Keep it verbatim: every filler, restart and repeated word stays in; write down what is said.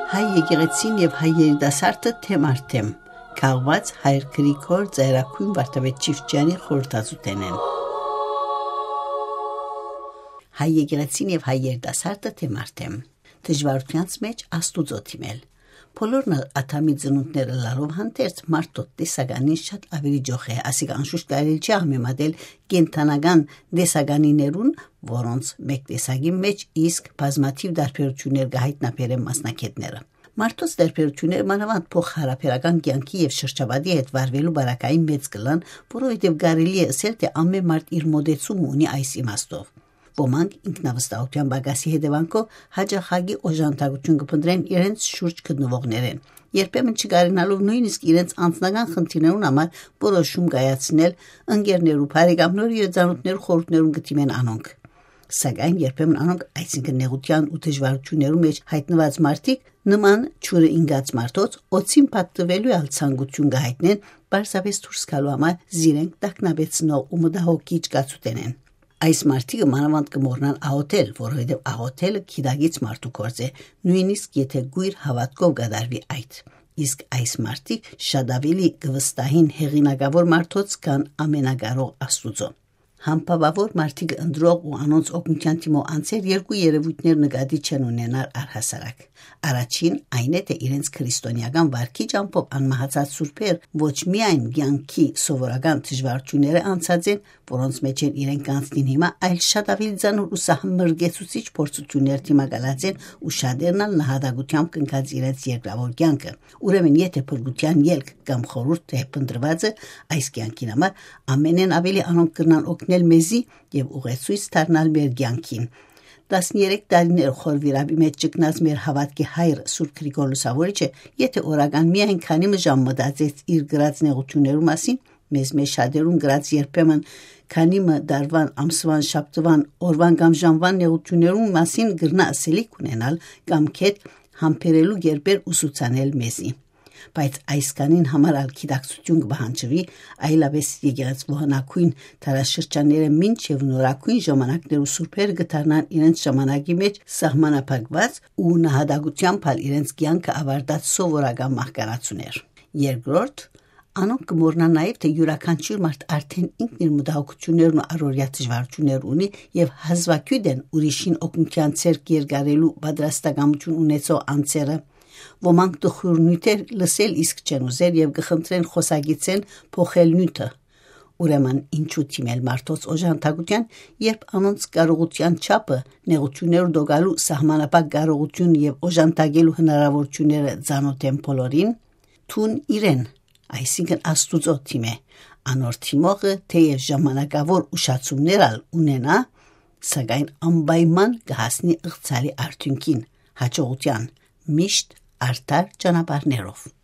Հայ եկեղեցին եւ հայ երիտասարդը թեմ առ թեմ, քաղուած հայր Գրիգոր Ծայրագոյն Վարդապետ Չիֆճեանի խորհրդածութենէն։ Հայ եկեղեցին եւ հայ երիտասարդը թեմ առ թեմ, դժուարութեանց մէջ Աստուծոյ դիմել։ Բոլորն ալ Ադամի ծնունդներ ըլլալով հանդերձ մարդոց տեսականին շատ աւելի ճոխ է, ասիկա անշուշտ կարելի չի համեմատել կենդանական տեսականիներուն, որոնց մէկ տեսակի մէջ իսկ բազմաթիւ տարբերութիւններ կը յայտնաբերեն մասնագէտները։ Մարդոց տարբերութիւնները մանաւանդ փոխհարաբերական կեանքի եւ շրջապատի հետ վարուելու պարագային մեծ կ'ըլլան, որովհետեւ կարելի է ըսել, թէ ամէն մարդ իր մօտեցումը ունի այս իմաստով։ Ոմանք ինքնավստահութեան պակասի հետեւանքով յաճախակի օժանդակութիւն կը փնտռեն իրենց շուրջ գտնուողներէն, երբեմն չկարենալով նոյնիսկ իրենց անձնական խնդիրներուն համար որոշում կայացնել, ընկերներու, բարեկամներու եւ ծանօթներու խորհուրդներուն կը դիմեն անոնք։ Սակայն երբեմն անոնք, այսինքն՝ նեղութեան ու դժուարութիւններու մէջ յայտնուած մարդիկ, նման ջուրը ինկած մարդոց օծին պատտուելու ալ ցանկութիւն կը յայտնեն, պարզապէս դուրս գալու համար զիրենք տագնապեցնող ու մտահոգիչ կացութենէն։ Այս մարդիկը մանաւանդ կը մոռնան աղօթել, որովհետեւ աղօթելը գիտակից մարդու գործ է, նոյնիսկ եթէ կոյր հաւատքով կատարուի այդ։ Իսկ այս մարդիկ շատ աւելի կը վստահին հեղինակաւոր մարդոց, քան ամենակարող Աստուծոյ։ Համբաւաւոր մարդիկ ընտրող ու անոնց օգնութեան դիմող անձեր երկու երեւոյթներ նկատի չեն ունենար առհասարակ։ Առաջին այն է, թէ իրենց քրիստոնեական վարքի ճամբով անմահացած սուրբեր ոչ միայն կեանքի սովորական դժուարութիւնները անցած են, որոնց մէջէն իրենք կանցնին հիմա, այլ շատ աւելի ծանր ու սահմռկեցուցիչ փորձութիւններ դիմակալած են ու շատերն ալ նահատակութեամբ կնքած իրենց երկրաւոր կեանքը։ Ուրեմն, եթէ փրկութեան ելք կամ խորհուրդ թէ փնտռուածը այս կեանքին համար, ամենէն աւելի անոնք կրնան օգնել մեզի եւ ուղեցոյց դառնալ մեր կեանքին։ Տասներեք տարիներ խոր վիրապի մէջ ճգնած մեր հաւատքի հայր Սուրբ Գրիգոր Լուսաւորիչը, եթէ օրական միայն քանի մը ժամ մտածեց իր կրած նեղութիւններու մասին, մեզ մէջ շատերուն կրած երբեմն քանի մը տարուան, ամսուան, շաբթուան, օրուան կամ ժամուան նեղութիւններուն մասին կրնայ ըսելիք ունենալ կամ գեթ համբերելու կերպեր ուսուցանել մեզի։ Բայց այսքանին համար ալ գիտակցութիւն կը պահանջուի, այլապէս եկեղեցւոյ հնագոյն դարաշրջանները մինչեւ նորագոյն ժամանակներու սուրբերը կը դառնան իրենց ժամանակի մէջ սահմանափակուած ու նահատակութեամբ ալ իրենց կեանքը աւարտած սովորական մահկանացուներ։ Երկրորդ, անոնք կը մոռնան նաեւ, թէ իւրաքանչիւր մարդ արդէն ինքն իր մտահոգութիւններն ու առօրեայ դժուարութիւններ ունի եւ հազուագիւտ են ուրիշին օգնութեան ձեռք երկարելու պատրաստակամութիւն ունեցող անձերը։ Ոմանք տխուր նիւթեր լսել իսկ չեն ուզեր եւ կը խնդրեն խօսակիցէն փոխել նիւթը։ Ուրեմն, ինչու դիմել մարդոց օժանդակութեան, երբ անոնց կարողութեան չափը, նեղութիւններու տոկալու սահմանափակ կարողութիւն եւ օժանդակելու հնարաւորութիւնները ծանօթ են բոլորին։ Թուն իրեն, այսինքն՝ Աստուծոյ դիմէ։ Անոր դիմողը թէեւ ժամանակաւոր ուշացումներ ալ ունենայ, սակայն անպայման կը հասնի ըղձալի արդիւնքին, յաջողութեան, միշտ արդար ճանապարհներով։